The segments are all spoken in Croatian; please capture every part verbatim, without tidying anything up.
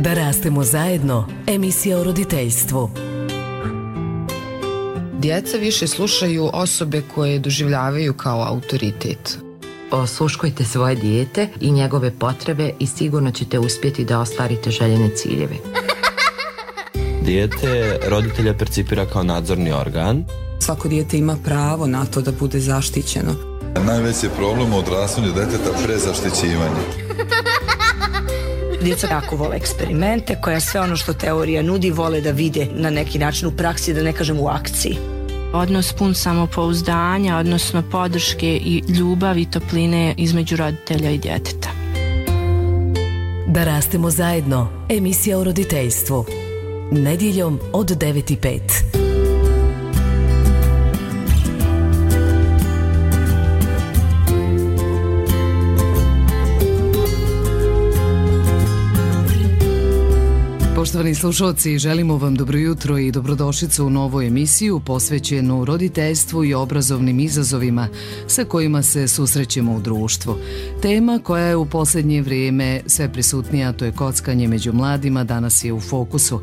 Da rastemo zajedno, emisija o roditeljstvu. Djeca više slušaju osobe koje doživljavaju kao autoritet. Osluškujte svoje dijete i njegove potrebe i sigurno ćete uspjeti da ostvarite željene ciljeve. Dijete roditelja percipira kao nadzorni organ. Svako dijete ima pravo na to da bude zaštićeno. Najveći je problem u odrastanju djeteta prezaštićivanje. Djeca jako vole eksperimente, koja sve ono što teorija nudi vole da vide na neki način u praksi, da ne kažem u akciji. Odnos pun samopouzdanja, odnosno podrške i ljubavi i topline između roditelja i djeteta. Da rastemo zajedno, emisija o roditeljstvu. Nedjeljom od devet i pet. Poštovani slušalci, želimo vam dobro jutro i dobrodošlicu u novu emisiju posvećenu roditeljstvu i obrazovnim izazovima sa kojima se susrećemo u društvu. Tema koja je u posljednje vrijeme sve prisutnija, to je kockanje među mladima, danas je u fokusu.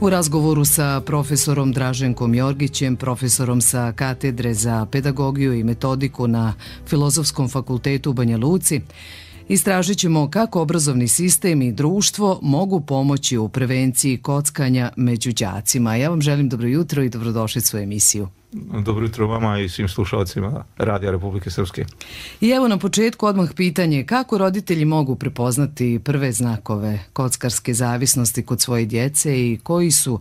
U razgovoru sa profesorom Draženkom Jorgićem, profesorom sa katedre za pedagogiju i metodiku na Filozofskom fakultetu u Banja Luci, istražit ćemo kako obrazovni sistem i društvo mogu pomoći u prevenciji kockanja među đacima. Ja vam želim dobro jutro i dobrodošlicu u emisiju. Dobro jutro vama i svim slušalcima Radija Republike Srpske. I evo na početku odmah pitanje, kako roditelji mogu prepoznati prve znakove kockarske zavisnosti kod svoje djece i koji su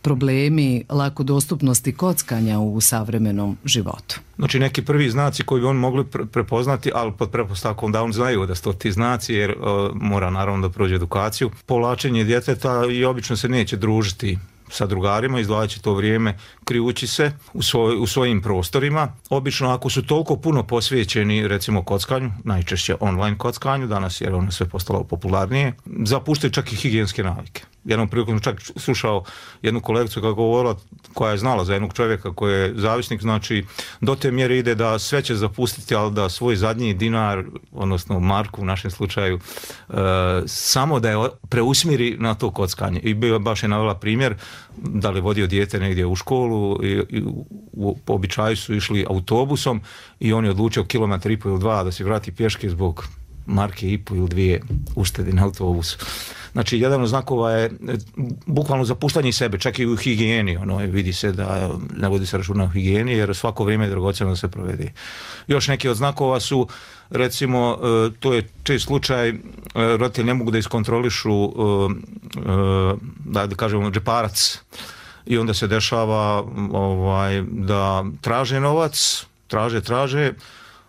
problemi lako dostupnosti kockanja u savremenom životu? Znači neki prvi znaci koji bi oni mogli prepoznati, ali pod pretpostavkom da oni znaju da su to ti znaci, jer uh, mora naravno da prođe edukaciju. Povlačenje djeteta i obično se neće družiti sa drugarima, izdvajat će to vrijeme krijući se u, svoj, u svojim prostorima. Obično ako su toliko puno posvećeni recimo kockanju, najčešće online kockanju, danas jer ono sve postalo popularnije, zapuštaju čak i higijenske navike. Jednom prilikom čak slušao jednu kolegicu koja govorila, koja je znala za jednog čovjeka koji je zavisnik, znači do te mjere ide da sve će zapustiti, ali da svoj zadnji dinar, odnosno marku u našem slučaju, e, samo da je preusmjeri na to kockanje. I bio baš je navela primjer da li vodio dijete negdje u školu i, i u, po običaju su išli autobusom i on je odlučio kilometar i po ili dva da se vrati pješke zbog marke i po ili dvije uštedi na autobusu. Znači, jedan od znakova je bukvalno zapuštanje sebe, čak i u higijeni. Ono, vidi se da ne vodi se računa o higijeni, jer svako vrijeme je dragocjeno da se provede. Još neki od znakova su, recimo, to je čest slučaj, roditelji ne mogu da iskontrolišu, da kažemo, džeparac. I onda se dešava ovaj, da traže novac, traže, traže,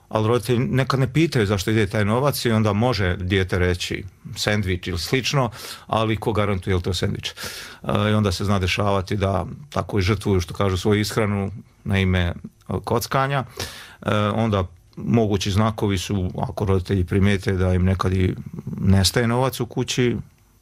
ali roditelji nekad ne pitaju zašto ide taj novac i onda može dijete reći sendvič ili slično, ali ko garantuje je li to sendvič. I onda se zna dešavati da tako i žrtvuju, što kažu, svoju ishranu na ime kockanja. Onda mogući znakovi su, ako roditelji primijete da im nekad i nestaje novac u kući,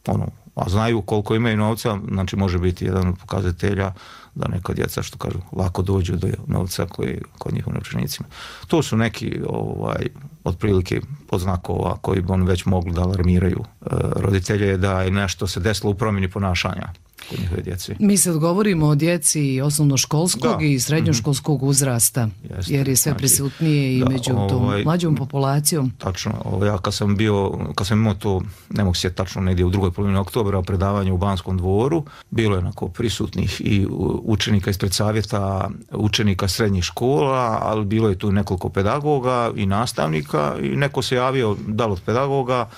ono, a znaju koliko imaju novca, znači može biti jedan od pokazatelja da neka djeca, što kažu, lako dođu do novca koji kod njihovim novčanicima. To su neki ovaj, otprilike podznakova koji bi oni već mogli da alarmiraju e, roditelje da je nešto se desilo u promjeni ponašanja kod njihove djece. Mi se odgovorimo o djeci osnovnoškolskog da. i srednjoškolskog uzrasta, Jeste. jer je sve znači, prisutnije i da, među tom ovaj, mlađom populacijom. Tačno, ovaj, ja kad sam bio, kad sam imao to, ne mogu se tačno negdje u drugoj polovini oktobra, predavanje u Banskom dvoru, bilo je onako prisutnih i učenika ispred savjeta, učenika srednjih škola, ali bilo je tu nekoliko pedagoga i nastavnika i neko se javio, da li od pedagoga,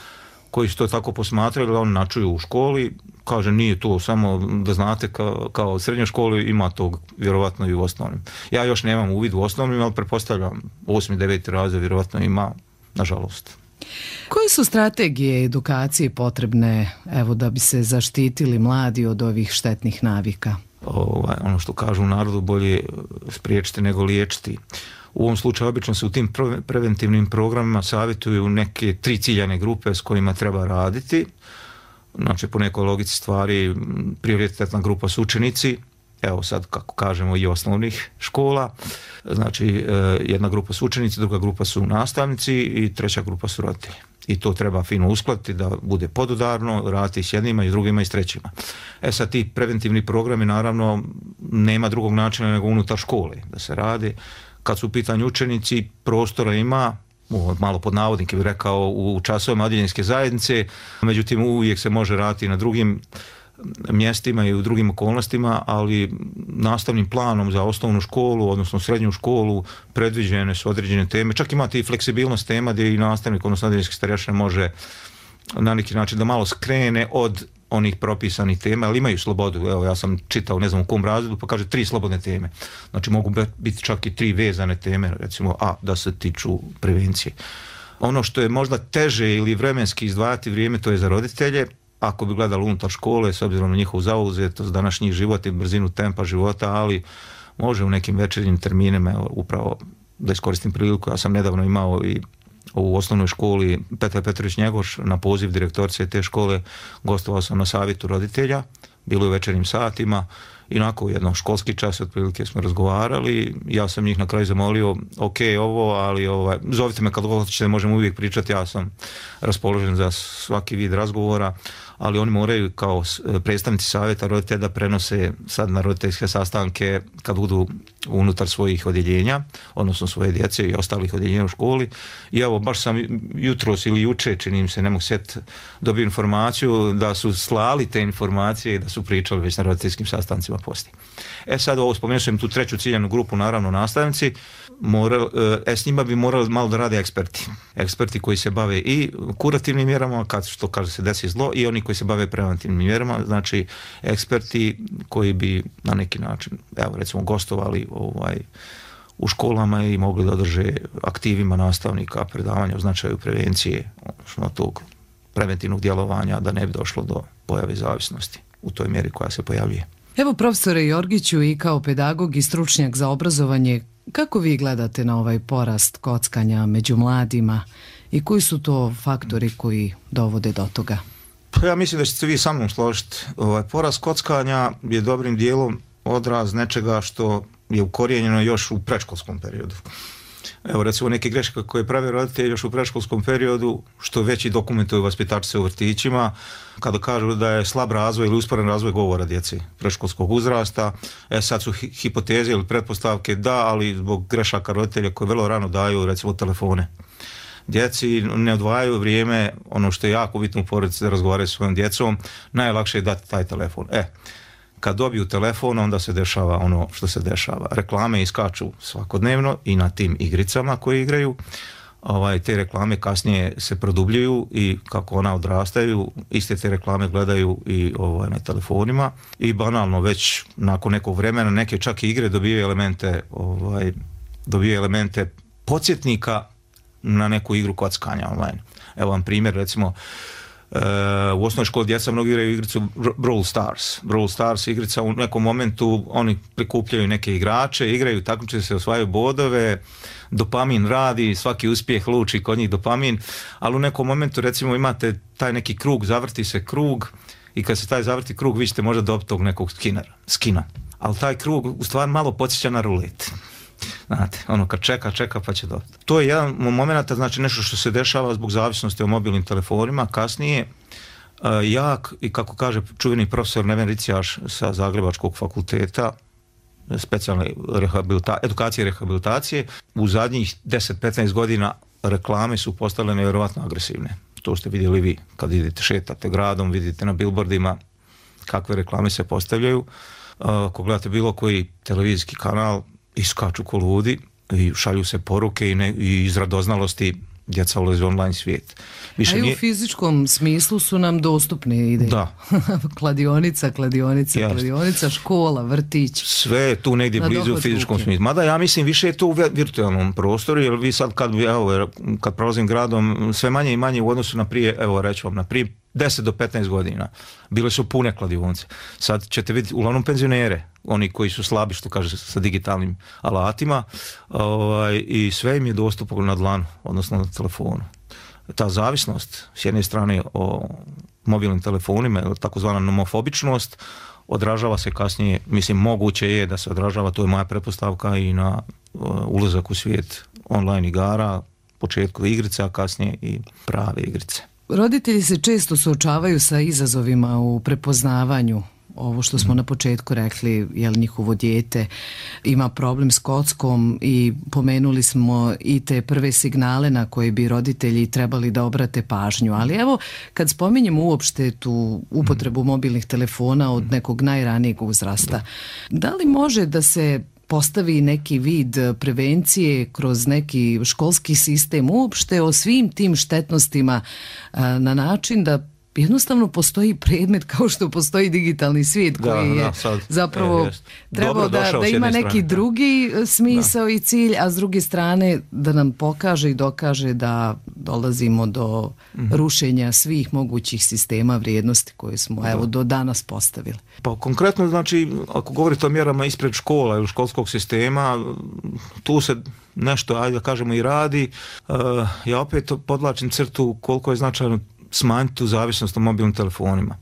koji su to tako posmatrali, da oni načuju u školi. Kaže, nije to samo da znate kao, kao u srednjoj školi, ima to vjerovatno i u osnovnim. Ja još nemam uvid u osnovnim, ali pretpostavljam osmi, deveti razred vjerovatno ima, nažalost. Koje su strategije edukacije potrebne, evo, da bi se zaštitili mladi od ovih štetnih navika? Ovaj, ono što kažu u narodu, bolje spriječiti nego liječiti. U ovom slučaju obično se u tim preventivnim programima savjetuju neke tri ciljane grupe s kojima treba raditi. Znači, po nekoj logici stvari, prioritetna grupa su učenici, evo sad kako kažemo i osnovnih škola, znači jedna grupa su učenici, druga grupa su nastavnici i treća grupa su roditelji. I to treba fino uskladiti da bude podudarno, raditi s jednima i s drugima i s trećima. E sad ti preventivni programi naravno nema drugog načina nego unutar škole da se radi. Kad su u pitanju učenici, prostora ima, malo pod navodnike bih rekao, u časovima odjeljenske zajednice, međutim uvijek se može raditi na drugim mjestima i u drugim okolnostima, ali nastavnim planom za osnovnu školu, odnosno srednju školu, predviđene su određene teme. Čak imate i fleksibilnost tema gdje i nastavnik, odnosno odjeljenski starješina može na neki način da malo skrene od onih propisanih tema, ali imaju slobodu. Evo, ja sam čitao, ne znam u kom razredu, pa kaže tri slobodne teme. Znači mogu biti čak i tri vezane teme, recimo, a da se tiču prevencije. Ono što je možda teže ili vremenski izdvajati vrijeme, to je za roditelje. Ako bi gledali unutar škole, s obzirom na njihovu zauzetost, današnjih života i brzinu tempa života, ali može u nekim večernjim terminima, evo, upravo da iskoristim priliku, ja sam nedavno imao i u osnovnoj školi Petar Petrović Njegoš na poziv direktorice te škole, gostovao sam na savjetu roditelja, bilo je u večernjim satima i nakon jednog školski čas otprilike smo razgovarali, ja sam njih na kraju zamolio, ok, ovo, ali ovaj, zovite me kad hoćete, možemo uvijek pričati, ja sam raspoložen za svaki vid razgovora, ali oni moraju kao predstavnici savjeta roditelja da prenose sad na roditeljske sastanke kad budu unutar svojih odjeljenja, odnosno svoje djece i ostalih odjeljenja u školi. I evo, baš sam jutros ili juče, čini mi se, ne mogu sjetiti, dobio informaciju da su slali te informacije i da su pričali već na roditeljskim sastancima poslije. E sad ovo, spomenuo sam tu treću ciljanu grupu, naravno nastavnici, moral, e, s njima bi morali malo da rade eksperti. Eksperti koji se bave i kurativnim mjerama, kad što kaže se desi zlo, i oni koji se bave preventivnim mjerama, znači eksperti koji bi na neki način, evo recimo, gostovali ovaj, u školama i mogli da održe aktivima nastavnika predavanja o značaju prevencije, odnosno tog preventivnog djelovanja, da ne bi došlo do pojave zavisnosti u toj mjeri koja se pojavljuje. Evo, profesore Jorgiću, i kao pedagog i stručnjak za obrazovanje, kako vi gledate na ovaj porast kockanja među mladima i koji su to faktori koji dovode do toga? Pa ja mislim da ćete vi sa mnom složiti. Ovaj, porast kockanja je dobrim dijelom odraz nečega što je ukorijenjeno još u predškolskom periodu. Evo recimo neke greške koje prave roditelji još u predškolskom periodu, što već i dokumentuju vaspitačice u vrtićima, kada kažu da je slab razvoj ili usporen razvoj govora djece predškolskog uzrasta. E sad su hi- hipoteze ili pretpostavke da, ali zbog grešaka roditelja koji vrlo rano daju recimo telefone djeci, ne odvajaju vrijeme, ono što je jako bitno u porodici da razgovaraju s svojom djecom, najlakše je dati taj telefon. E, kad dobiju telefon, onda se dešava ono što se dešava. Reklame iskaču svakodnevno i na tim igricama koje igraju. Ovaj, te reklame kasnije se produbljuju i kako ona odrastaju, iste te reklame gledaju i ovaj, na telefonima i banalno već nakon nekog vremena neke čak i igre dobijaju elemente, ovaj, dobijaju elemente podsjetnika na neku igru kockanja online. Evo vam primjer, recimo, Uh, u osnovnoj školi djeca mnogo igraju igricu Brawl Stars. Brawl Stars igrica, u nekom momentu oni prikupljaju neke igrače, igraju, takmiče se, osvajaju bodove, dopamin radi, svaki uspjeh luči kod njih dopamin, ali u nekom momentu recimo imate taj neki krug, zavrti se krug i kad se taj zavrti krug vi ćete možda dobiti tog nekog skinera, skina. Ali taj krug u stvari malo podsjeća na rulet. Znate, ono kad čeka, čeka pa će dobiti. To je jedan moment, znači nešto što se dešava zbog zavisnosti o mobilnim telefonima. Kasnije, uh, jak, i kako kaže čuveni profesor Neven Ricijaš sa Zagrebačkog fakulteta, specijalne rehabilita- edukacije i rehabilitacije, u zadnjih deset do petnaest godina reklame su postale nevjerojatno agresivne. To ste vidjeli vi kad idete, šetate gradom, vidite na billboardima kakve reklame se postavljaju. Uh, ako gledate bilo koji televizijski kanal, iskaču ko ludi i šalju se poruke i, ne, i iz radoznalosti djeca ulaze u online svijet. Više A i u nije... fizičkom smislu su nam dostupne ideje. Da. Kladionica, kladionica, Jasne. kladionica, škola, vrtić. Sve je tu negdje blizu u fizičkom ruke. Smislu. Mada ja mislim više je to u virtualnom prostoru, jer vi sad kad, evo, kad prolazim gradom, sve manje i manje u odnosu na prije, evo reći vam, na prije deset do petnaest godina. Bile su pune kladionice. Sad ćete vidjeti uglavnom penzionere, oni koji su slabi, što kaže, sa digitalnim alatima, ovaj, i sve im je dostupno na dlanu, odnosno na telefonu. Ta zavisnost, s jedne strane o mobilnim telefonima, takozvana nomofobičnost, odražava se kasnije, mislim moguće je da se odražava, to je moja pretpostavka, i na uh, ulazak u svijet online igara, početku igrice, a kasnije i prave igrice. Roditelji se često suočavaju sa izazovima u prepoznavanju. Ovo što smo na početku rekli, je li njihovo dijete ima problem s kockom, i pomenuli smo i te prve signale na koje bi roditelji trebali da obrate pažnju. Ali evo, kad spominjemo uopšte tu upotrebu mobilnih telefona od nekog najranijeg uzrasta, da li može da se postavi neki vid prevencije kroz neki školski sistem uopšte o svim tim štetnostima na način da jednostavno postoji predmet kao što postoji digitalni svijet koji da, je da, sad, zapravo e, trebao da, da ima neki strane. drugi smisao da. i cilj, a s druge strane da nam pokaže i dokaže da dolazimo do mm-hmm. rušenja svih mogućih sistema vrijednosti koje smo da. evo do danas postavili. Pa konkretno, znači, ako govorite o mjerama ispred škola ili školskog sistema, tu se nešto, ajde da kažemo, i radi. Uh, ja opet podlačim crtu koliko je značajno smanjiti tu zavisnost o mobilnim telefonima.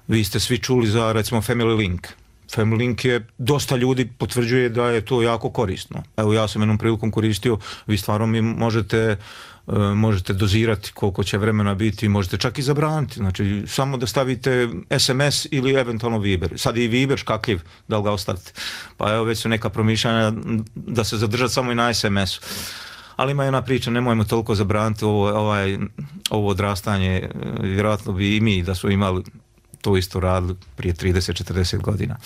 Vi ste svi čuli za, recimo, Family Link. Family Link je, dosta ljudi potvrđuje da je to jako korisno. Evo, ja sam jednom prilikom koristio, vi stvarno mi možete, uh, možete dozirati koliko će vremena biti, možete čak i zabraniti. Znači, samo da stavite es em es ili eventualno Viber. Sad i Viber škakljiv, da li ga ostavite. Pa evo, već su neka promišljanja da se zadržati samo i na es em esu. Ali ima jedna priča, nemojmo toliko zabraniti ovo, ovaj, ovo odrastanje, vjerojatno bi i mi da su imali to isto radili prije trideset četrdeset godina.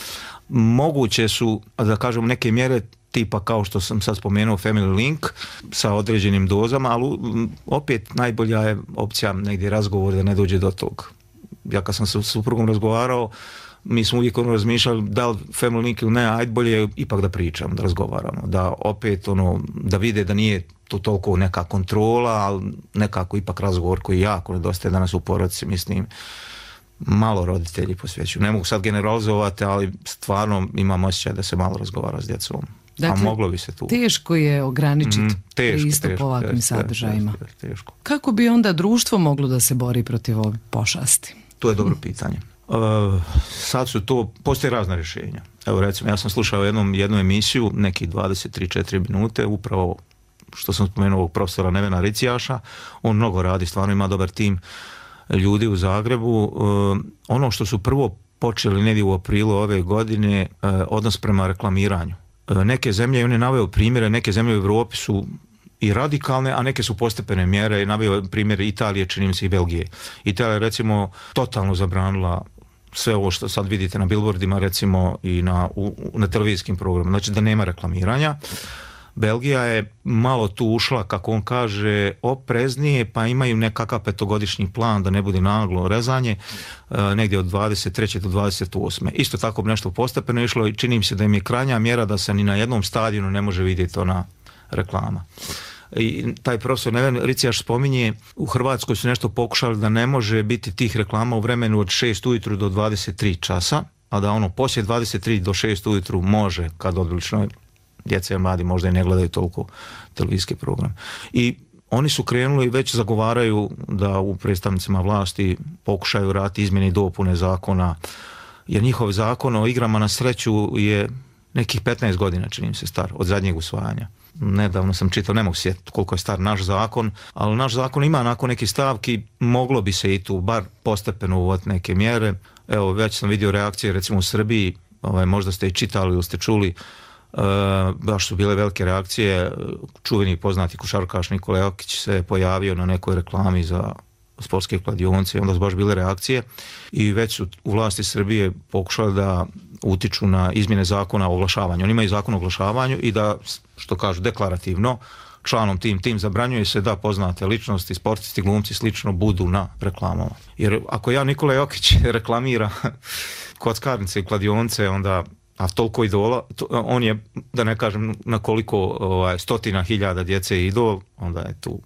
Moguće su, da kažem, neke mjere tipa kao što sam sad spomenuo Family Link sa određenim dozama, ali opet najbolja je opcija negdje razgovor da ne dođe do tog. Ja kad sam sa suprugom razgovarao, mi smo uvijek ono razmišljali da li Family Link ili ne, ajde bolje je ipak da pričamo, da razgovaramo, da opet ono, da vide da nije to toliko neka kontrola, ali nekako ipak razgovor koji jako nedostaje danas u porodici, mislim, malo roditelji posvećuju. Ne mogu sad generalizovati, ali stvarno imam osjećaj da se malo razgovara s djecom. Dakle, a moglo bi se tu. Teško je ograničiti mm, teško, pristup teško, ovakvim teško, sadržajima. Teško, teško. Kako bi onda društvo moglo da se bori protiv ove pošasti? To je dobro pitanje. Uh, sad su to, postoje razna rješenja. Evo recimo, ja sam slušao jednom, jednu emisiju, neki dvadeset tri četiri minute, upravo što sam spomenuo ovog profesora Nevena Ricijaša. On mnogo radi, stvarno ima dobar tim ljudi u Zagrebu. Uh, ono što su prvo počeli negdje u aprilu ove godine, uh, odnos prema reklamiranju. Uh, neke zemlje, on je naveo primjere, neke zemlje u Europi su i radikalne, a neke su postepene mjere. Naveo primjer Italije, čini mi se, i Belgije. Italija je recimo totalno zabranila sve ovo što sad vidite na billboardima, recimo i na, u, na televizijskim programima, znači da nema reklamiranja. Belgija je malo tu ušla, kako on kaže, opreznije, pa imaju nekakav petogodišnji plan da ne bude naglo rezanje, e, negdje od dvadeset treće do dvadeset osme Isto tako bi nešto postepeno išlo i čini mi se da im je krajnja mjera da se ni na jednom stadionu ne može vidjeti ona reklama. I taj profesor Neven Ricijaš spominje, u Hrvatskoj su nešto pokušali da ne može biti tih reklama u vremenu od šest ujutru do dvadeset tri časa, a da ono poslije dvadeset tri do šest ujutru može, kad odlično djeca i mladi možda i ne gledaju toliko televizijski program. I oni su krenuli i već zagovaraju da u predstavnicima vlasti pokušaju raditi izmjene i dopune zakona, jer njihov zakon o igrama na sreću je nekih petnaest godina, čini mi se, star, od zadnjeg usvajanja. Nedavno sam čitao, ne mogu sjetiti koliko je star naš zakon, ali naš zakon ima nakon nekih stavki, moglo bi se i tu bar postepeno uvoditi neke mjere. Evo, već sam vidio reakcije recimo u Srbiji, ovaj, možda ste i čitali ili ste čuli, e, baš su bile velike reakcije. Čuveni poznati košarkaš Nikola Jokić se pojavio na nekoj reklami za sportske kladionice i onda su baš bile reakcije i već su u vlasti Srbije pokušali da utiču na izmjene zakona o oglašavanju. Oni imaju zakon o oglašavanju i da, što kažu, deklarativno članom tim tim zabranjuje se da poznate ličnosti, sportisti, glumci slično budu na reklamama. Jer ako ja Nikola Jokić reklamira kockarnice i kladionice, onda, a toliko idola, to, on je, da ne kažem na koliko ovaj, stotina hiljada djece idol, onda je tu.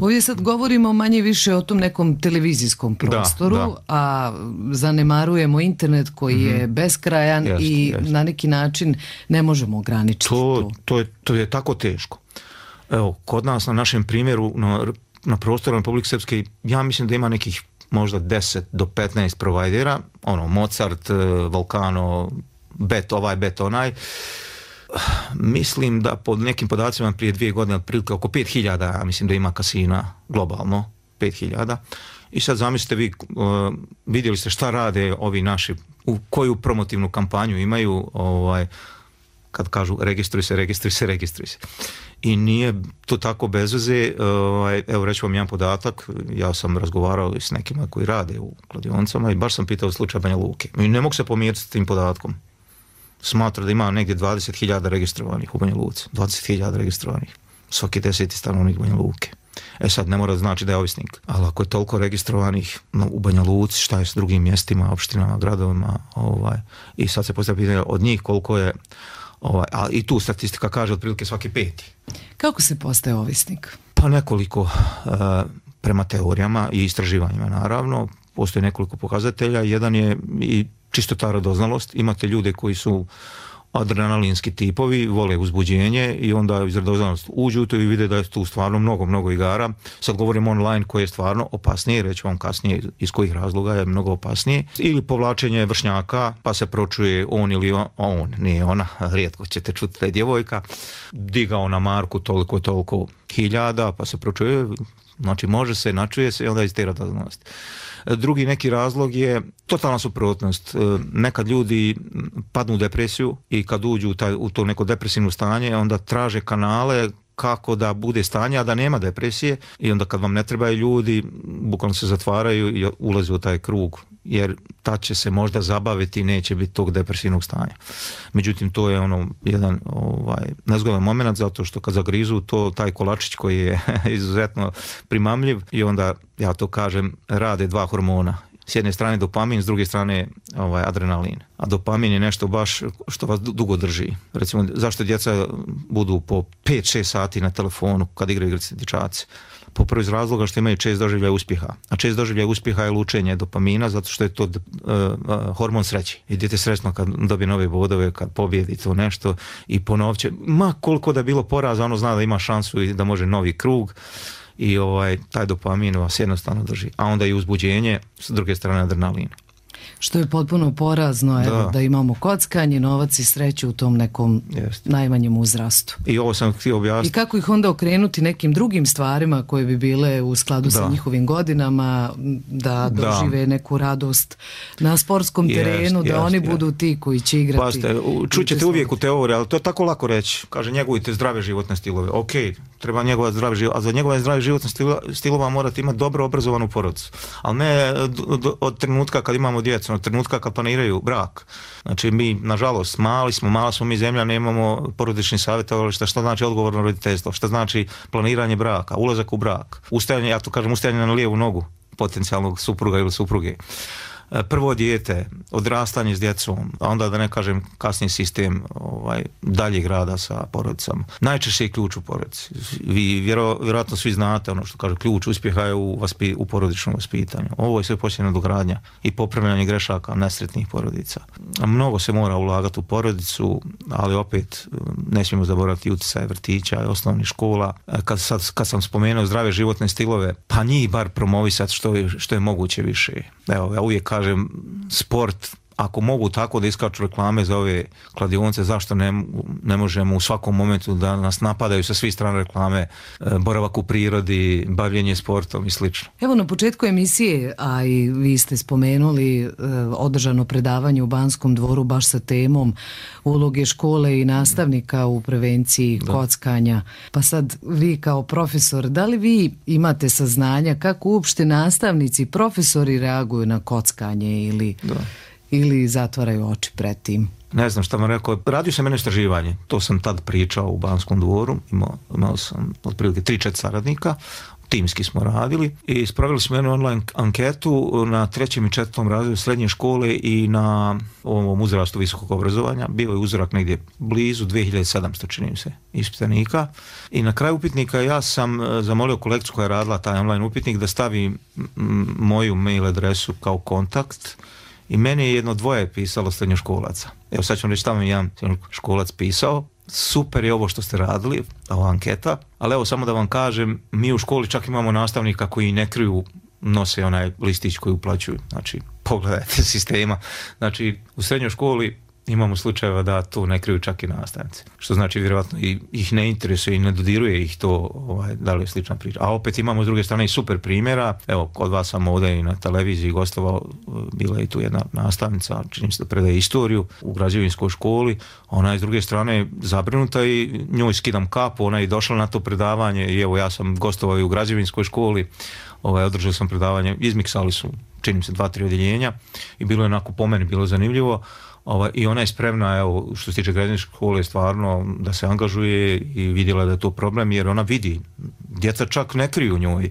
Ovdje sad govorimo manje više o tom nekom televizijskom prostoru, da, da. A zanemarujemo internet koji mm-hmm. je beskrajan jest, i jest. Na neki način ne možemo ograničiti to. To, to, je, to je tako teško. Evo, kod nas na našem primjeru na, na prostoru Republike Srpske, ja mislim da ima nekih možda deset do petnaest provajdera, ono Mozart, Volcano, bet ovaj, bet onaj. Mislim da pod nekim podacima prije dvije godine otprilike oko pet hiljada, ja mislim da ima kasina globalno, pet hiljada. I sad zamislite vi, uh, vidjeli ste šta rade ovi naši, u koju promotivnu kampanju imaju, ovaj, kad kažu registruj se, registruj se, registruj se. I nije to tako bez veze. Ovaj, evo reći vam jedan podatak, ja sam razgovarao s nekima koji rade u kladionicama i baš sam pitao slučaj Banja Luke. I ne mogu se pomiriti s tim podatkom. Smatra da ima negdje dvadeset hiljada registrovanih u Banja Luci. dvadeset hiljada registrovanih. Svaki deseti stanovnik Banja Luke. E sad, ne mora znači da je ovisnik. Ali ako je toliko registrovanih no, u Banja Luci, šta je s drugim mjestima, opštinama, gradovima, ovaj, i sad se postavlja pitanje od njih koliko je, ovaj, a i tu statistika kaže otprilike svaki peti. Kako se postaje ovisnik? Pa nekoliko, uh, prema teorijama i istraživanjima naravno, postoje nekoliko pokazatelja. Jedan je i čisto ta radoznalost. Imate ljude koji su adrenalinski tipovi, vole uzbuđenje i onda iz radoznalosti uđu u to i vide da je tu stvarno mnogo, mnogo igara. Sad govorim online koje je stvarno opasnije, reći vam kasnije iz kojih razloga je mnogo opasnije. Ili povlačenje vršnjaka, pa se pročuje on ili on, on nije ona, rijetko ćete čuti da je djevojka, digao na marku toliko i toliko hiljada, pa se pročuje, znači može se, načuje se i onda iz te radoznalosti. Drugi neki razlog je totalna suprotnost. Nekad ljudi padnu u depresiju i kad uđu u, taj, u to neko depresivno stanje, onda traže kanale kako da bude stanje, a da nema depresije i onda kad vam ne trebaju ljudi, bukvalno se zatvaraju i ulaze u taj krug, jer tad će se možda zabaviti i neće biti tog depresivnog stanja. Međutim, to je ono jedan ovaj, nezgodan moment, zato što kad zagrizu to, taj kolačić koji je izuzetno primamljiv i onda, ja to kažem, rade dva hormona. S jedne strane dopamin, s druge strane ovaj, adrenalin. A dopamin je nešto baš što vas dugo drži. Recimo, zašto djeca budu po pet šest sati na telefonu kad igraju igrice dječaci? Po prvi iz razloga što imaju čest doživljaja uspjeha. A čest doživljaja uspjeha je lučenje dopamina zato što je to uh, uh, hormon sreće. I dijete sretno kad dobije nove bodove, kad pobjedi to nešto i ponovit će, ma koliko da je bilo poraza, ono zna da ima šansu i da može novi krug. I ovaj, taj dopamin vas jednostavno drži. A onda i uzbuđenje, s druge strane adrenalin. Što je potpuno porazno, da. Evo, da imamo kockanje, novac i sreću u tom nekom Jest. najmanjem uzrastu. I ovo sam htio objasniti. I kako ih onda okrenuti nekim drugim stvarima koje bi bile u skladu da. sa njihovim godinama, da dožive da. neku radost na sportskom jest, terenu, da jest, oni jest. budu ti koji će igrati. Pazite, čućete uvijek u teoriji, ali to je tako lako reći. Kaže, njegujte zdrave životne stilove. Ok, treba njegovati zdrave životne, a za njegove zdrave životne stilova morate imati dobro obrazovanu porodicu. Ali ne od trenutka kad imamo djecu, od trenutka kad planiraju brak. Znači mi, nažalost, mali smo, mala smo mi zemlja, nemamo porodični savjetovališta, šta znači odgovorno roditeljstvo, šta znači planiranje braka, ulazak u brak, ustajanje, ja to kažem, ustajanje na lijevu nogu potencijalnog supruga ili supruge. Prvo dijete, odrastanje s djecom, a onda da ne kažem kasniji sistem ovaj, daljeg rada sa porodicama. Najčešće je ključ u porodici. Vi vjero, vjerojatno svi znate ono što kaže ključ uspjeha je u, vaspi, u porodičnom vaspitanju. Ovo je sve posljedna dogradnja i popravljanje grešaka nesretnih porodica. Mnogo se mora ulagati u porodicu, ali opet ne smijemo zaboraviti utjecaj vrtića i osnovnih škola. Kad, sad, kad sam spomenuo zdrave životne stilove, pa njih bar promovisati što je, što je moguće više. Evo, ja uvijek kažem, sport, ako mogu tako da iskaču reklame za ove kladionice, zašto ne, ne možemo u svakom momentu da nas napadaju sa svih strana reklame, boravak u prirodi, bavljenje sportom i slično. Evo na početku emisije, a i vi ste spomenuli održano predavanje u Banskom dvoru baš sa temom uloge škole i nastavnika u prevenciji da. kockanja. Pa sad vi kao profesor, da li vi imate saznanja kako uopšte nastavnici, profesori reaguju na kockanje ili... Da. ili zatvaraju oči pred tim? Ne znam šta vam rekao. Radio sam jedno istraživanje. To sam tad pričao u Banskom dvoru. Imao, imao sam otprilike tri četiri saradnika. Timski smo radili i spravili smo jednu online anketu na trećem i četvrtom razredu srednje škole i na ovom uzrastu visokog obrazovanja. Bio je uzorak negdje blizu dvije hiljade sedamsto, čini mi se, ispitanika. I na kraju upitnika ja sam zamolio kolegicu koja je radila taj online upitnik da stavi moju mail adresu kao kontakt. I meni je jedno dvoje pisalo srednjoškolaca. Evo sad ću reći tamo jedan školac pisao. Super je ovo što ste radili, ova anketa, ali evo samo da vam kažem, mi u školi čak imamo nastavnika koji ne kriju nose onaj listić koji uplaćuju. Znači, pogledajte sistema. Znači, u srednjoj školi imamo slučajeva da to ne kriju čak i nastavnici. Što znači vjerojatno i, ih ne interesuje i ne dodiruje ih to, ovaj, da li je slična priča. A opet imamo s druge strane i super primjera. Evo, kod vas sam ovdje i na televiziji gostovao, bila je tu jedna nastavnica, čini se da predaje istoriju u građevinskoj školi. Ona je s druge strane zabrinuta i njoj skidam kapu, ona je došla na to predavanje i evo ja sam gostovao i u građevinskoj školi, ovaj, održao sam predavanje, izmiksali su, čini se, dva, tri odjeljenja i bilo je onako po meni, bilo zanimljivo. Ovaj, i ona je spremna, evo, što se tiče građevinske škole, stvarno da se angažuje i vidjela da je to problem, jer ona vidi, djeca čak ne kriju njoj.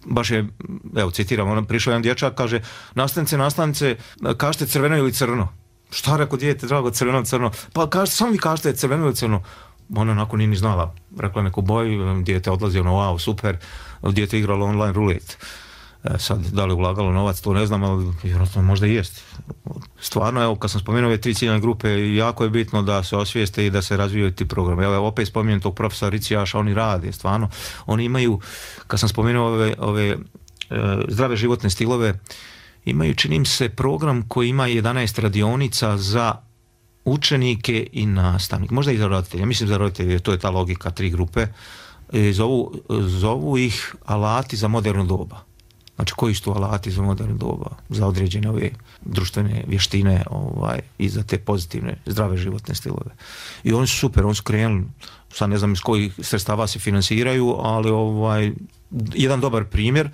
Baš je, evo, citiram, ona prišao jedan dječak, kaže, nastavnice, nastavnice, kažete crveno ili crno? Šta rekao dijete, drago, crveno, crno? Pa kažete, samo vi kažete crveno ili crno? Ona onako nije ni znala, rekla neku boju, dijete odlazi, ono, wow, super, dijete igralo online rulet. E, sad, da li ulagalo novac, to ne znam, ali vjerojatno možda i jest. Stvarno, evo, kad sam spomenuo ove tri ciljane grupe, jako je bitno da se osvijeste i da se razvijaju ti programe. Evo, opet spominjem tog profesora Ricijaša, oni rade, stvarno. Oni imaju, kad sam spomenuo ove, ove e, zdrave životne stilove, imaju, činim se, program koji ima jedanaest radionica za učenike i nastavnike. Možda i za roditelje. Mislim za roditelje, to je ta logika, tri grupe. E, zovu, zovu ih alati za moderno doba. Znači, koji su to alati za moderno doba, za određene ove društvene vještine, ovaj, i za te pozitivne, zdrave životne stilove. I oni su super, oni su krenuli, sad ne znam iz kojih sredstava se finansiraju, ali ovaj, jedan dobar primjer.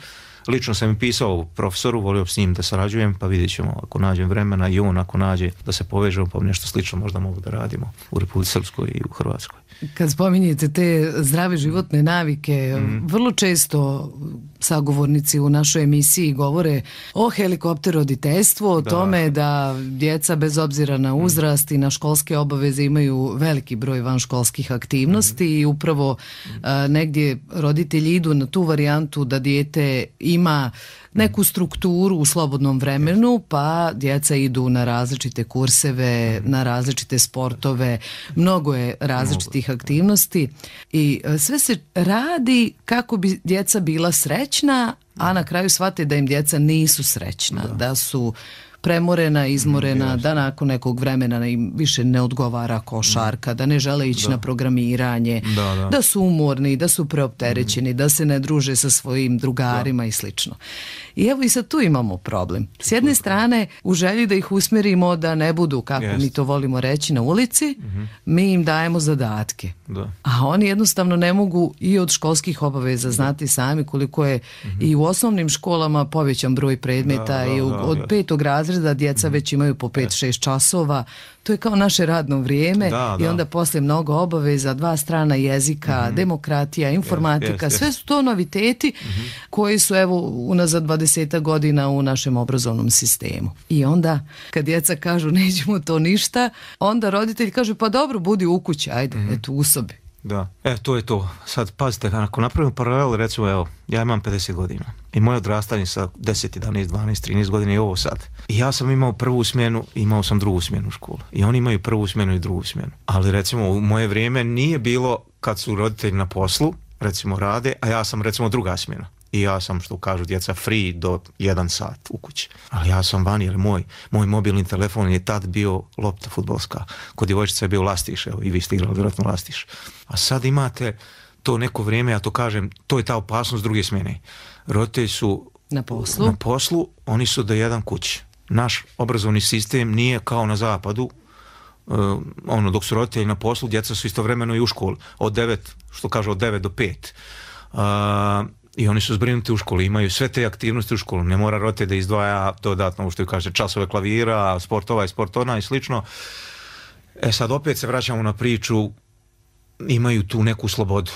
Lično sam im pisao profesoru, volio s njim da sarađujem, pa vidjet ćemo ako nađem vremena i on ako nađe da se povežemo, pa nešto slično možda mogu da radimo u Republici Srpskoj i u Hrvatskoj. Kad spominjete te zdrave životne navike, mm. vrlo često sagovornici u našoj emisiji govore o helikopteroditeljstvu, o da. tome da djeca bez obzira na uzrast i na školske obaveze imaju veliki broj vanškolskih aktivnosti mm. i upravo a, negdje roditelji idu na tu varijantu da dijete ima neku strukturu u slobodnom vremenu, pa djeca idu na različite kurseve, na različite sportove, mnogo je različitih aktivnosti i sve se radi kako bi djeca bila srećna, a na kraju shvate da im djeca nisu srećna, da, da su premorena, izmorena, mm, da nakon nekog vremena im više ne odgovara košarka, da ne žele ići da. na programiranje, da, da. da su umorni, da su preopterećeni, mm. da se ne druže sa svojim drugarima da. i slično. I evo i sad tu imamo problem. S jedne strane, u želji da ih usmjerimo da ne budu, kako Jest. mi to volimo reći, na ulici, mm-hmm. mi im dajemo zadatke. Da. A oni jednostavno ne mogu i od školskih obaveza, znati sami koliko je mm-hmm. i u osnovnim školama povećan broj predmeta da, da, i u, da, od petog razreda djeca već imaju po pet šest časova. To je kao naše radno vrijeme da, i da. onda poslije mnogo obaveza, dva strana jezika, mm-hmm. demokratija, informatika, yes, yes, sve su to noviteti mm-hmm. koji su evo unazad dvadeset godina u našem obrazovnom sistemu. I onda kad djeca kažu nećemo to ništa, onda roditelj kaže pa dobro, budi u kući, ajde, mm-hmm. eto u sobi. Da, e, to je to. Sad, pazite, ako napravimo paralel, recimo, evo, ja imam pedeset godina i moje odrastanje sa deset, jedanaest, dvanaest, trinaest godina je ovo sad. I ja sam imao prvu smjenu, imao sam drugu smjenu u školu. I oni imaju prvu smjenu i drugu smjenu. Ali, recimo, u moje vrijeme nije bilo kad su roditelji na poslu, recimo, rade, a ja sam, recimo, druga smjena. I ja sam, što kažu djeca, free do jedan sat u kući. Ali ja sam van, jer moj, moj mobilni telefon je tad bio lopta fudbalska. Kod djevojčica je bio lastiš, evo, i vi ste igrali vjerojatno lastiš. A sad imate to neko vrijeme, ja to kažem, to je ta opasnost druge smjene. Roditelji su na poslu. na poslu, oni su do jedan kući. Naš obrazovni sistem nije kao na zapadu, uh, ono, dok su roditelji na poslu, djeca su istovremeno i u školi. Od devet, što kaže, od devet do pet. Uh, I oni su zbrinuti u školi, imaju sve te aktivnosti u školu, ne mora roditelj da izdvaja dodatno, što kaže, časove klavira, sport ovaj, sport ona i slično. E sad opet se vraćamo na priču, imaju tu neku slobodu.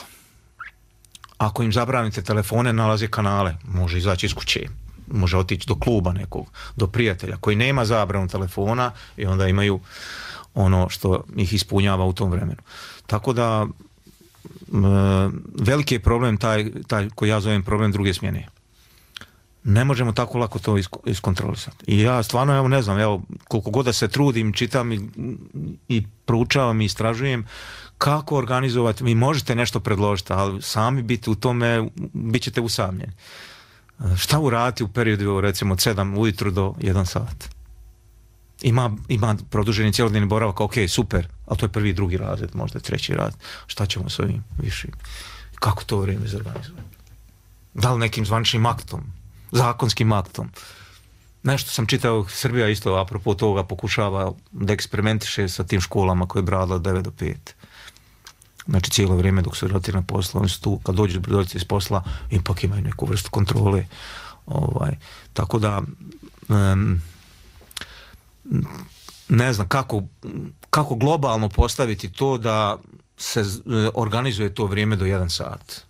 Ako im zabranite telefone, nalaze kanale, može izaći iz kuće, može otići do kluba nekog, do prijatelja koji nema zabranu telefona i onda imaju ono što ih ispunjava u tom vremenu. Tako da veliki je problem taj, taj koji ja zovem problem druge smjene. Ne možemo tako lako to iskontrolisati. I ja stvarno, evo ne znam, evo koliko god da se trudim, čitam i, i proučavam i istražujem kako organizovati, vi možete nešto predložiti, ali sami biti u tome, bit ćete usamljeni. Šta uraditi u periodu recimo od sedam ujutru do jedan sat? Ima, ima produženi cjelodnevni boravak, ok, super, ali to je prvi, drugi razred, možda treći razred. Šta ćemo s ovim višim? Kako to vrijeme zorganizovati? Da li nekim zvaničnim aktom, zakonskim aktom? Nešto sam čitao, Srbija isto apropo toga pokušava da eksperimentiše sa tim školama koje je brala od devet do pet. Znači cijelo vrijeme dok su roditelji na poslu, oni su tu, kad dođu roditelji iz posla, ipak imaju neku vrstu kontrole. Ovaj, tako da um, ne znam kako, kako globalno postaviti to da se organizuje to vrijeme do jedan sat.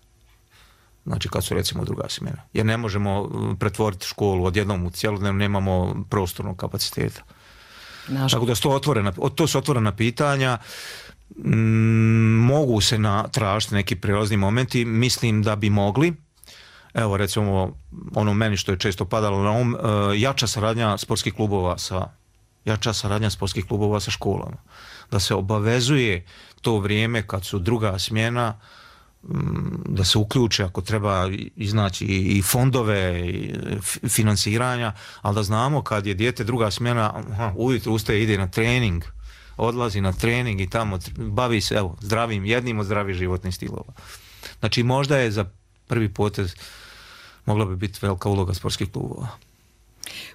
Znači kad su recimo druga smjena. Jer ne možemo pretvoriti školu odjednom u cjelodnevno, nemamo prostornog kapaciteta. Naš... Tako da su to, otvorena, to su otvorena pitanja. Mm, mogu se na, tražiti neki prelazni momenti. Mislim da bi mogli. Evo recimo ono meni što je često padalo na um, jača saradnja sportskih klubova sa jača saradnja sportskih klubova sa školama. Da se obavezuje to vrijeme kad su druga smjena, da se uključe ako treba iznaći i fondove i financiranja, ali da znamo kad je dijete druga smjena, aha, ujutro ustaje, ide na trening, odlazi na trening i tamo bavi se evo, zdravim, jednim od zdravih životnih stilova. Znači možda je za prvi potez mogla bi biti velika uloga sportskih klubova.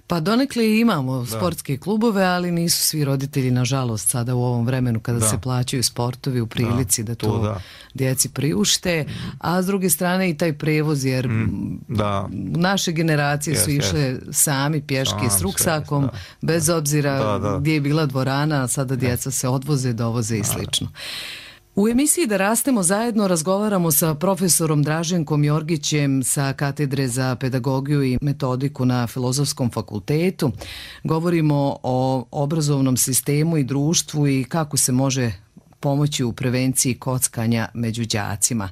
Pa donekle imamo da. sportske klubove, ali nisu svi roditelji, nažalost, sada u ovom vremenu kada da. se plaćaju sportovi u prilici da, da to, to da. djeci priušte, a s druge strane i taj prevoz, jer mm, da. naše generacije yes, su išle yes. sami pješke s ruksakom, yes, bez obzira da, da. gdje je bila dvorana, sada djeca se odvoze, dovoze i slično. U emisiji Da rastemo zajedno razgovaramo sa profesorom Draženkom Jorgićem sa Katedre za pedagogiju i metodiku na Filozofskom fakultetu. Govorimo o obrazovnom sistemu i društvu i kako se može pomoći u prevenciji kockanja među đacima.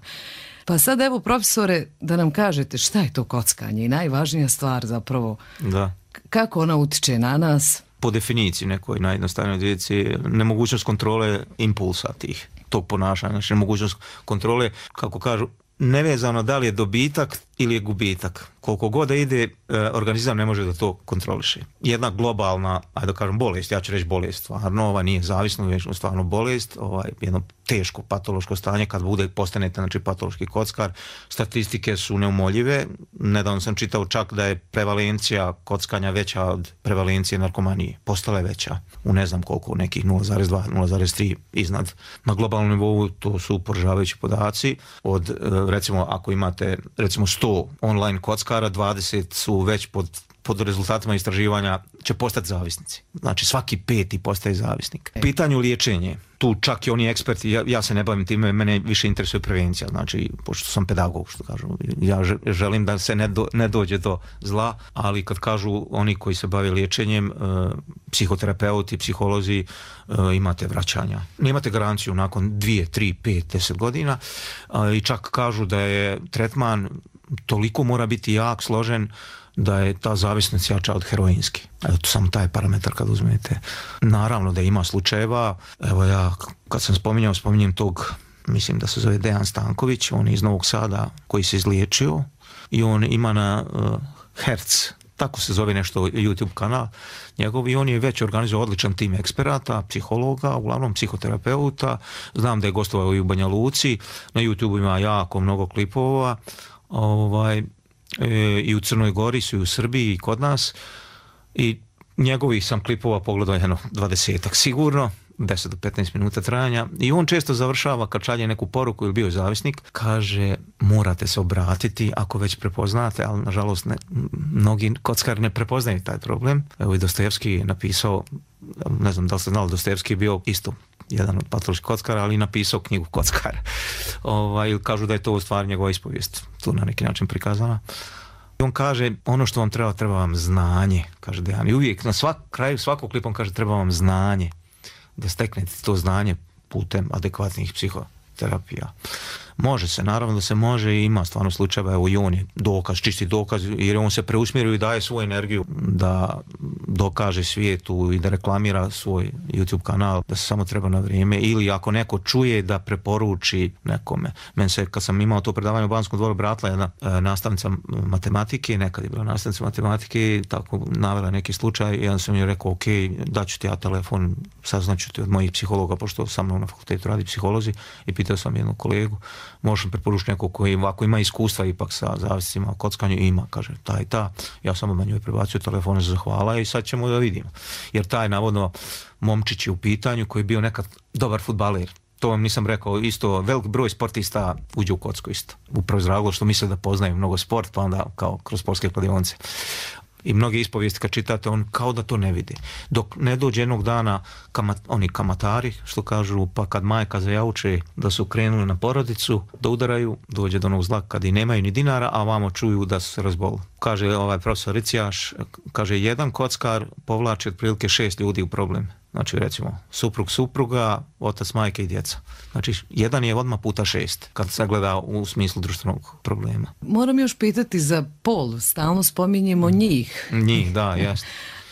Pa sad evo profesore da nam kažete šta je to kockanje i najvažnija stvar zapravo da. kako ona utiče na nas. Po definiciji nekoj najjednostavnoj djeci nemogućnost kontrole impulsa tih. tog ponašanja, znači mogućnost kontrole, kako kažu, nevezano da li je dobitak ili je gubitak. Koliko god da ide, organizam ne može da to kontroliše. Jedna globalna, ajde da kažem, bolest, ja ću reći bolest, stvarno, ova nije zavisno, već stvarno bolest, ovaj, jedno teško patološko stanje, kad bude postanete, znači, patološki kockar, statistike su neumoljive. Nedavno sam čitao čak da je prevalencija kockanja veća od prevalencije narkomanije. Postala je veća u ne znam koliko, nekih nula zarez dva, nula zarez tri iznad. Na globalnom nivou to su poražavajući podaci. Od, recimo, ako imate, recimo, sto online kockara, dvadeset su već pod, pod rezultatima istraživanja će postati zavisnici. Znači svaki peti postaje zavisnik. Pitanju liječenje, tu čak i oni eksperti, ja, ja se ne bavim time, mene više interesuje prevencija, znači pošto sam pedagog, što kažu, ja želim da se ne, do, ne dođe do zla, ali kad kažu oni koji se bave liječenjem, uh, psihoterapeuti, psiholozi, uh, imate vraćanja. Nemate garanciju nakon dvije, tri, pet, deset godina uh, i čak kažu da je tretman toliko mora biti jak, složen, da je ta zavisnost jača od heroinski. Evo, to samo taj parametar kad uzmete. Naravno da ima slučajeva, evo ja kad sam spominjao, spominjem tog, mislim da se zove Dejan Stanković, on je iz Novog Sada koji se izliječio i on ima na uh, Herc, tako se zove nešto YouTube kanal njegov, i on je već organizovao odličan tim eksperata, psihologa, uglavnom psihoterapeuta, znam da je gostovao i u Banja Luci, na YouTube ima jako mnogo klipova, ovaj, e, i u Crnoj Gori su i u Srbiji i kod nas, i njegovih sam klipova pogledao jedno dvadesetak sigurno, deset do petnaest minuta trajanja, i on često završava kad šalje neku poruku ili bio je zavisnik, kaže morate se obratiti ako već prepoznate, ali nažalost ne, mnogi kockari ne prepoznaju taj problem. Evo i Dostojevski je napisao, ne znam da li ste znali, Dostojevski je bio isto jedan od patoloških kockara, ali napisao knjigu Kockar. Ovaj, kažu da je to u stvari njegova ispovijest tu na neki način prikazana. On kaže, ono što vam treba, treba vam znanje, kaže Dejan. I uvijek na svak, kraju svakog klipa on kaže, treba vam znanje, da steknete to znanje putem adekvatnih psihoterapija. Može se, naravno da se može, i ima stvarno slučajeva, evo i on je dokaz, čisti dokaz, jer on se preusmjerio i daje svoju energiju da dokaže svijetu i da reklamira svoj YouTube kanal, da se samo treba na vrijeme, ili ako neko čuje da preporuči nekome. Men se, kad sam imao to predavanje u Banskom dvoru, bratila jedna e, nastavnica matematike, nekad je bila nastavnica matematike, tako navela neki slučaj i ja sam joj rekao, ok, daću ti ja telefon, saznaću ti od mojih psihologa, pošto sa mnom na fakultetu radi psiholozi, i pitao sam jednog kolegu, možeš mi preporučiti nekog koji ovako ima iskustva ipak sa zavisima o kockanju, i ima, kaže, ta i ta. Ja sam odmah njoj prebacio telefon za hvala i sad ćemo da vidimo. Jer taj navodno momčić je u pitanju koji je bio nekad dobar fudbaler. To vam nisam rekao, isto velik broj sportista uđe u kocku isto. Upravo iz razloga što misle da poznaju mnogo sport, pa onda kao kroz sportske kladionice. I mnoge ispovijesti kad čitate, on kao da to ne vidi. Dok ne dođe jednog dana kamat, oni kamatari, što kažu, pa kad majka zajauče da su krenuli na porodicu, da udaraju, dođe do onog zla kad i nemaju ni dinara, a vamo čuju da su se razboli. Kaže ovaj profesor Ricijaš, kaže, jedan kockar povlači otprilike šest ljudi u problem. Znači, recimo, suprug, supruga, otac, majke i djeca. Znači, jedan je odmah puta šest, kad se gleda u smislu društvenog problema. Moram još pitati za pol, stalno spominjemo njih. Njih, da, jest.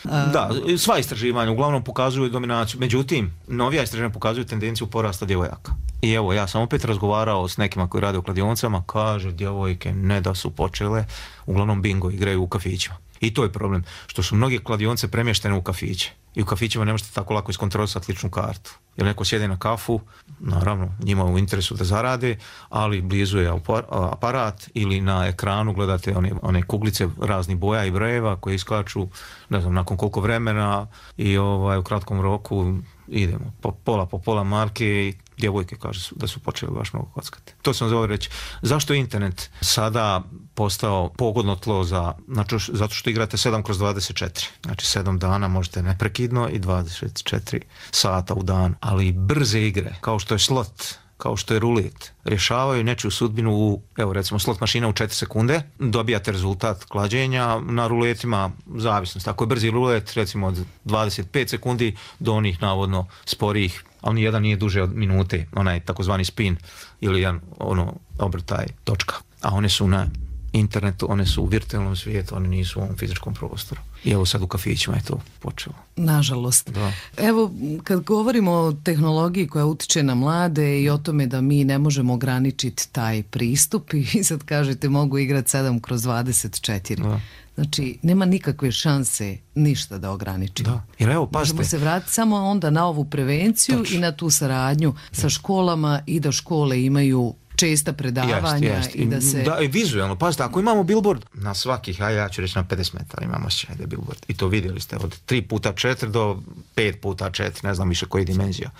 Da, sva istraživanja uglavnom pokazuju dominaciju, međutim, novija istraživanja pokazuju tendenciju porasta djevojaka. I evo, ja sam opet razgovarao s nekima koji rade u kladionicama, kaže, djevojke ne da su počele, uglavnom bingo igraju u kafićima. I to je problem, što su mnoge kladionice premještene u kafiće. I u kafićima ne možete tako lako iskontrolisati ličnu kartu. Jer neko sjede na kafu, naravno, njima u interesu da zarade, ali blizu je aparat ili na ekranu gledate one, one kuglice raznih boja i brojeva koje iskaču, ne znam, nakon koliko vremena, i ovaj, u kratkom roku idemo po pola po pola marke i djevojke kaže da su počeli baš mnogo kockati. To sam zvao reći. Zašto je internet sada postao pogodno tlo za, znači, zato što igrate sedam kroz dvadeset četiri. Znači sedam dana možete neprekidno i dvadeset četiri sata u dan. Ali brze igre, kao što je slot, kao što je rulet, rješavaju nečiju sudbinu u, evo recimo, slot mašina u četiri sekunde, dobijate rezultat klađenja, na ruletima zavisnost. Ako je brzi rulet, recimo od dvadeset pet sekundi do onih navodno sporijih, a oni jedan nije duže od minute, onaj takozvani spin ili jedan ono obrtaj točka. A one su na internetu, one su u virtualnom svijetu, one nisu u ovom fizičkom prostoru. I evo sad u kafićima je to počelo. Nažalost. Da. Evo, kad govorimo o tehnologiji koja utiče na mlade i o tome da mi ne možemo ograničiti taj pristup, i sad kažete mogu igrati sedam kroz dvadeset četiri. Da. Znači, nema nikakve šanse ništa da ograničimo. Da. Jer evo, pazite. Možemo se vratiti samo onda na ovu prevenciju. Točno. I na tu saradnju sa školama i da škole imaju česta predavanja. Jest, jest. I da se... Da, i vizualno, pazite, ako imamo billboard na svakih, a ja ću reći na pedeset metara imamo se da je billboard. I to vidjeli ste od tri puta četiri do pet puta četiri, ne znam više koji dimenzija.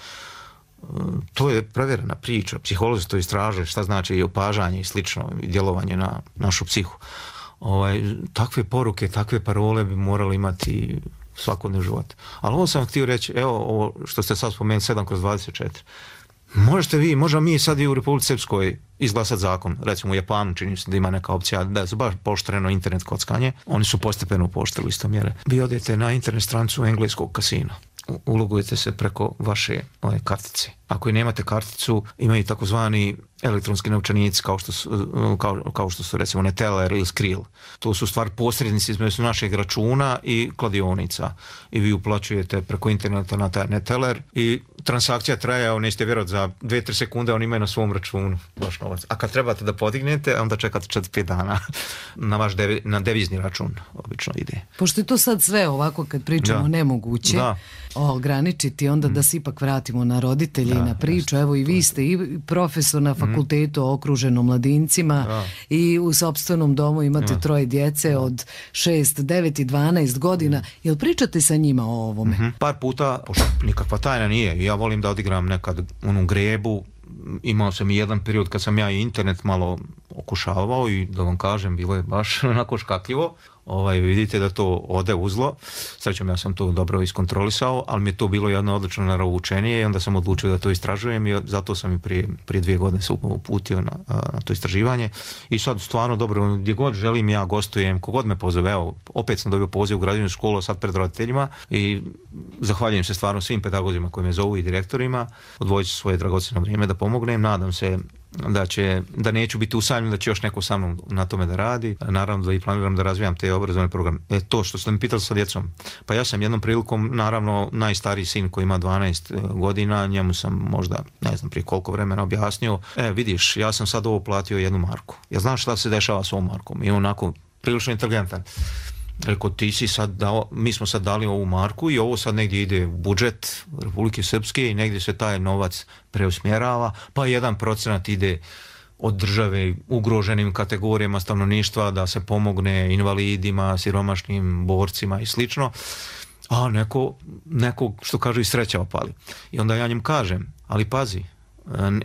To je provjerena priča. Psiholozi to istražuju šta znači i opažanje i slično i djelovanje na našu psihu. Ovaj, takve poruke, takve parole bi morali imati svakodnevni život. Ali ovo sam htio reći, evo ovo što ste sad spomenuli, sedam kroz dvadeset četiri. Možete vi, možemo mi sad i u Republici Srpskoj izglasati zakon, recimo u Japanu čini se da ima neka opcija da je baš pooštreno internet kockanje, oni su postepeno pooštrili isto mjere. Vi odete na internet stranicu engleskog kasina, ulogujete se preko vaše ove kartice. Ako i nemate karticu, imaju takozvani elektronski novčanici kao što su, kao, kao što su recimo Neteller ili Skrill. To su stvar posrednici između našeg računa i kladionica. I vi uplaćujete preko interneta na taj Neteller i transakcija traje, nećete vjerovati, za dvije do tri sekunde oni imaju na svom računu vaš novac. A kad trebate da podignete, onda čekate četiri do pet dana na vaš devi, na devizni račun obično ide. Pošto je to sad sve ovako kad pričamo da. nemoguće da. ograničiti, onda mm. da se ipak vratimo na roditelje da, i na priču. Evo i vi ste i profesor na fakultetu mm. okruženo mladincima da. i u sopstvenom domu imate da. troje djece od šest, devet i dvanaest godina. Jel pričate sa njima o ovome? Mm-hmm. Par puta, pošto nikakva tajna nije, ja volim da odigram nekad onu grebu. Imao sam i jedan period kad sam ja i internet malo okušavao i da vam kažem, bilo je baš onako škakljivo. Ovaj, vidite da to ode uzlo. Srećom, ja sam to dobro iskontrolisao, ali mi je to bilo jedno odlično naravoučenije i onda sam odlučio da to istražujem i zato sam i prije, prije dvije godine se uputio na, na to istraživanje. I sad stvarno dobro, gdje god želim ja gostujem, kogod me pozove, evo, opet sam dobio poziv u građansku školu sad pred roditeljima i zahvaljujem se stvarno svim pedagozima koji me zovu i direktorima, odvojit ću svoje dragocjeno vrijeme da pomognem, nadam se da će, da neću biti usamljen, da će još neko sa mnom na tome da radi. Naravno da i planiram da razvijam te obrazovne programe. E, to što ste mi pitali sa djecom. Pa ja sam jednom prilikom, naravno, najstariji sin koji ima dvanaest godina, njemu sam možda, ne znam prije koliko vremena objasnio, e, vidiš, ja sam sad ovo platio jednu marku. Ja znam šta se dešava s ovom markom. I onako, prilično inteligentan. Rekao, ti si sad dao, mi smo sad dali ovu marku i ovo sad negdje ide u budžet Republike Srpske i negdje se taj novac preusmjerava, pa jedan procenat ide od države ugroženim kategorijama stanovništva da se pomogne invalidima, siromašnim borcima i slično, a neko, neko što kažu i sreća opali. I onda ja njim kažem, ali pazi,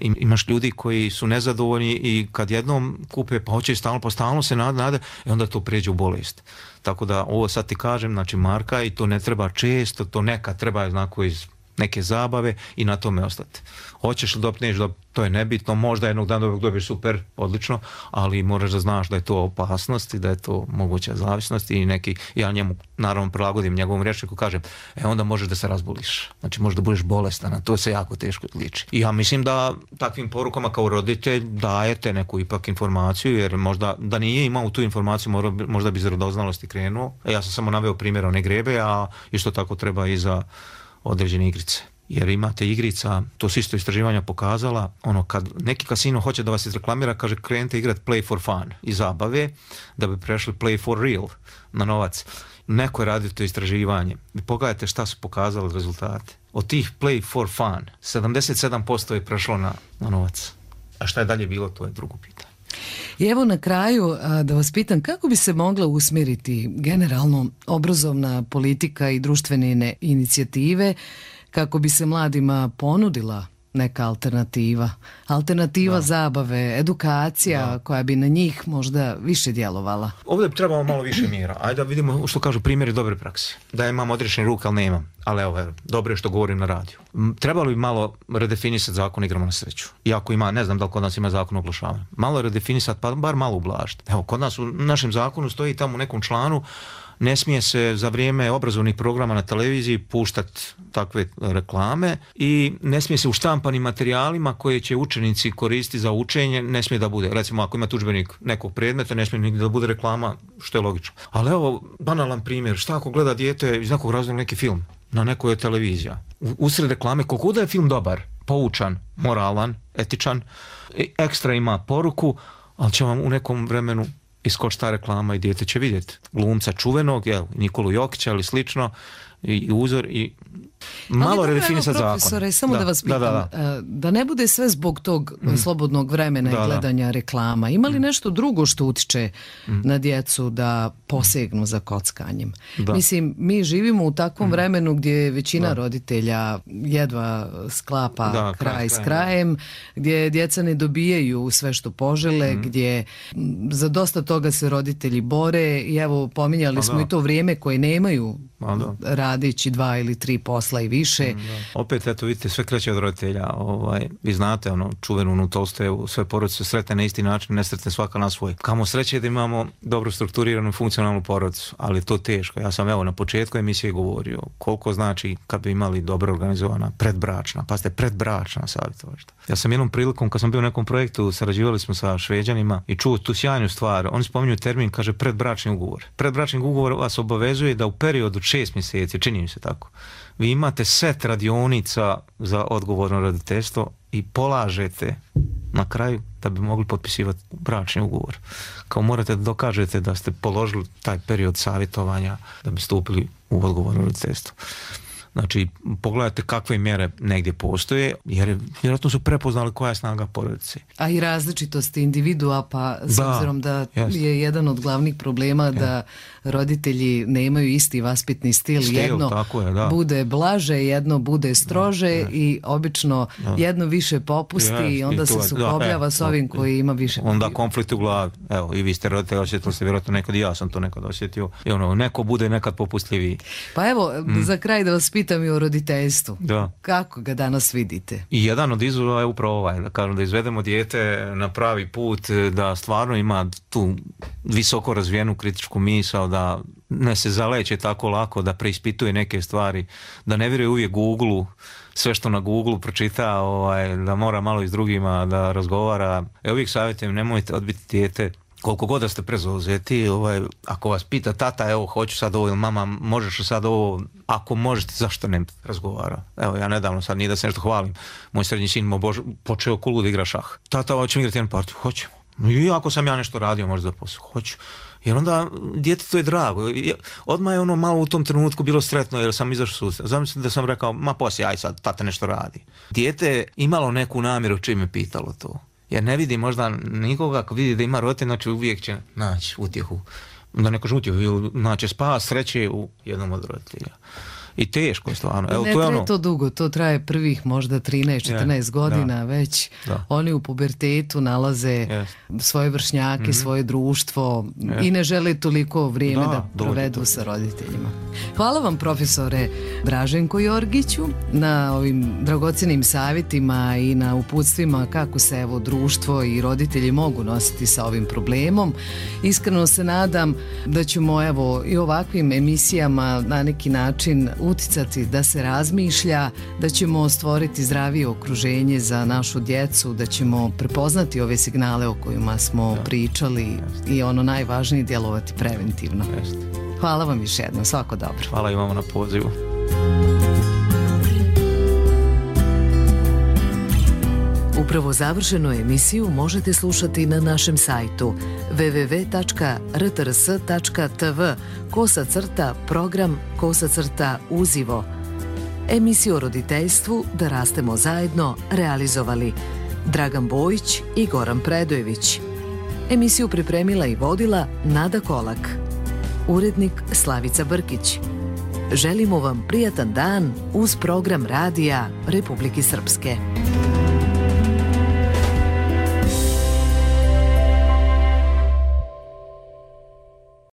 imaš ljudi koji su nezadovoljni i kad jednom kupe pa hoće stalno, pa stalno se nade, nade i onda to pređe u bolest. Tako da ovo sad ti kažem, znači marka i to ne treba često, to nekad treba znako iz neke zabave i na tome ostati. Hoćeš li dobiti, neš dobiti, to je nebitno, možda jednog dana dobiješ super, odlično, ali moraš da znaš da je to opasnost i da je to moguća zavisnost i neki, ja njemu naravno prilagodim njegovom rječniku, kažem, e onda možeš da se razboliš, znači možeš da budeš bolestan, a to se jako teško liči. I ja mislim da takvim porukama kao roditelj dajete neku ipak informaciju, jer možda da nije imao tu informaciju, možda bi iz radoznalosti krenuo. E, ja sam samo naveo primjer one grebe, a isto tako treba i za određene igrice. Jer imate igrica, to su isto istraživanja pokazala, ono kad neki kasino hoće da vas izreklamira, kaže krenite igrati play for fun i zabave, da bi prešli play for real na novac. Neko je radio to istraživanje i pogledajte šta su pokazali rezultate. Od tih play for fun, sedamdeset sedam posto je prešlo na, na novac. A šta je dalje bilo, to je drugo pitanje. I evo na kraju da vas pitam, kako bi se mogla usmjeriti generalno obrazovna politika i društvene inicijative kako bi se mladima ponudila neka alternativa, alternativa da. Zabave, edukacija da. Koja bi na njih možda više djelovala. Ovdje bi trebalo malo više mjera. Ajde da vidimo što kažu primjeri dobre prakse. Da imam odrešene ruke, ali nemam. Ali evo, dobro je što govorim na radiju. Trebalo bi malo redefinisati zakon igrama na sreću. Iako ima, ne znam da li kod nas ima zakon o oglašavanju. Malo redefinisati, pa bar malo ublažiti. Evo, kod nas u našem zakonu stoji tamo u nekom članu, ne smije se za vrijeme obrazovnih programa na televiziji puštati takve reklame i ne smije se u štampanim materijalima koje će učenici koristiti za učenje, ne smije da bude. Recimo, ako ima udžbenik nekog predmeta, ne smije nigdje da bude reklama, što je logično. Ali evo, banalan primjer, šta ako gleda dijete iz nekog razloga neki film na nekoj televizija. Usred reklame, koliko da je film dobar, poučan, moralan, etičan, ekstra ima poruku, ali će vam u nekom vremenu iskoči ta reklama i dijete će vidjeti glumca čuvenog, jel, Nikolu Jokića ili slično, i uzor i malo redefinisati zakon. Profesore, samo da, da vas pitam, da, da, da. da ne bude sve zbog tog mm. slobodnog vremena da, i gledanja da. reklama. Ima li mm. nešto drugo što utiče mm. na djecu da posegnu za kockanjem? Da. Mislim, mi živimo u takvom mm. vremenu gdje većina da. roditelja jedva sklapa da, kraj, kraj s krajem, gdje djeca ne dobijaju sve što požele, mm. gdje za dosta toga se roditelji bore i evo pominjali A, smo da. i to vrijeme koje nemaju radići dva ili tri posla i više. Mm, Opet, eto, vidite, sve kreće od roditelja. Ovaj, vi znate, ono, čuvenu onu Tolstojevu, sve porodice sretne na isti način, nesretne svaka na svoj. Kamo sreće da imamo dobro strukturiranu funkcionalnu porodicu, ali to teško. Ja sam, evo, na početku emisije govorio koliko znači kad bi imali dobro organizovana predbračna, pa ste predbračna savjetovališta. Ja sam jednom prilikom, kad sam bio u nekom projektu, sarađivali smo sa Šveđanima i čuo tu sjajnu stvar. Oni spominju termin, kaže predbračni ugovor. Predbračni ugovor vas obavezuje da u periodu šest mjeseci, čini mi se tako, vi imate set radionica za odgovorno roditeljstvo i polažete na kraju da bi mogli potpisivati bračni ugovor. Kao morate da dokažete da ste položili taj period savjetovanja da bi stupili u odgovorno roditeljstvo. Znači, pogledajte kakve mjere negdje postoje, jer vjerojatno su prepoznali koja je snaga porodice. A i različitosti individua, pa s da, obzirom da jest. je jedan od glavnih problema da ja. roditelji nemaju isti vaspitni stil. stil jedno tako je, da. bude blaže, jedno bude strože ja, i obično ja. jedno više popusti ja, i onda i se sukobljava s ovim koji ima više. Onda konflikt u glavi. Evo, i vi ste roditelji, osjetili ste vjerojatno nekad i ja sam to nekad osjetio. I ono, neko bude nekad popustljiviji. Pa evo, mm. za kraj da vas pitam, pitam i o roditeljstvu. Da. Kako ga danas vidite? I jedan od izazova je upravo ovaj, da kažem, da izvedemo dijete na pravi put, da stvarno ima tu visoko razvijenu kritičku misao, da ne se zaleće tako lako, da preispituje neke stvari, da ne vjeruje uvijek Google-u, sve što na Google pročita, ovaj, da mora malo i s drugima da razgovara. Evo uvijek savjetujem, nemojte odbiti dijete koliko god da ste prezauzeti, ovaj, ako vas pita tata, evo hoću sad ovo, ili mama možeš sad ovo, ako možete, zašto ne razgovara? Evo ja nedavno sad, nije da se nešto hvalim, moj srednji sin mo bož, počeo kulu da igra šah. Tata, hoćemo igrati jednu partiju? Hoćemo. I ako sam ja nešto radio, možda da posao, hoću. Jer onda djetetu je drago. Odmah je ono malo u tom trenutku bilo sretno jer sam izašao susret. Zamislite da sam rekao, ma poslije, aj sad, tata nešto radi. Dijete je imalo neku namjeru čim je pitalo to. Jer ne vidi možda nikoga, ako vidi da ima roditelj, znači uvijek će naći utjehu. Da ne kažem utjehu, ili naći spas, sreće u jednom od roditelja. I teško je stvarno. Evo, ne to je traje ono... to dugo, to traje prvih možda trinaest četrnaest godina, da, već da. Oni u pubertetu nalaze yes. svoje vršnjake, mm-hmm. svoje društvo yes. i ne žele toliko vrijeme da, da provedu to. Sa roditeljima. Hvala vam, profesore Draženko Jorgiću, na ovim dragocjenim savjetima i na uputstvima kako se evo društvo i roditelji mogu nositi sa ovim problemom. Iskreno se nadam da ćemo evo i ovakvim emisijama na neki način uticati da se razmišlja, da ćemo stvoriti zdravije okruženje za našu djecu, da ćemo prepoznati ove signale o kojima smo da. pričali Jeste. i ono najvažnije djelovati preventivno. Jeste. Hvala vam još jednom, svako dobro. Hvala i vama na pozivu. Upravo završenu emisiju možete slušati na našem sajtu w w w tačka r t r s tačka t v kosa crta program kosa crta uzivo. Emisiju o roditeljstvu Da rastemo zajedno realizovali Dragan Bojić i Goran Predojević. Emisiju pripremila i vodila Nada Kolak. Urednik Slavica Brkić. Želimo vam prijatan dan uz program radija Republike Srpske.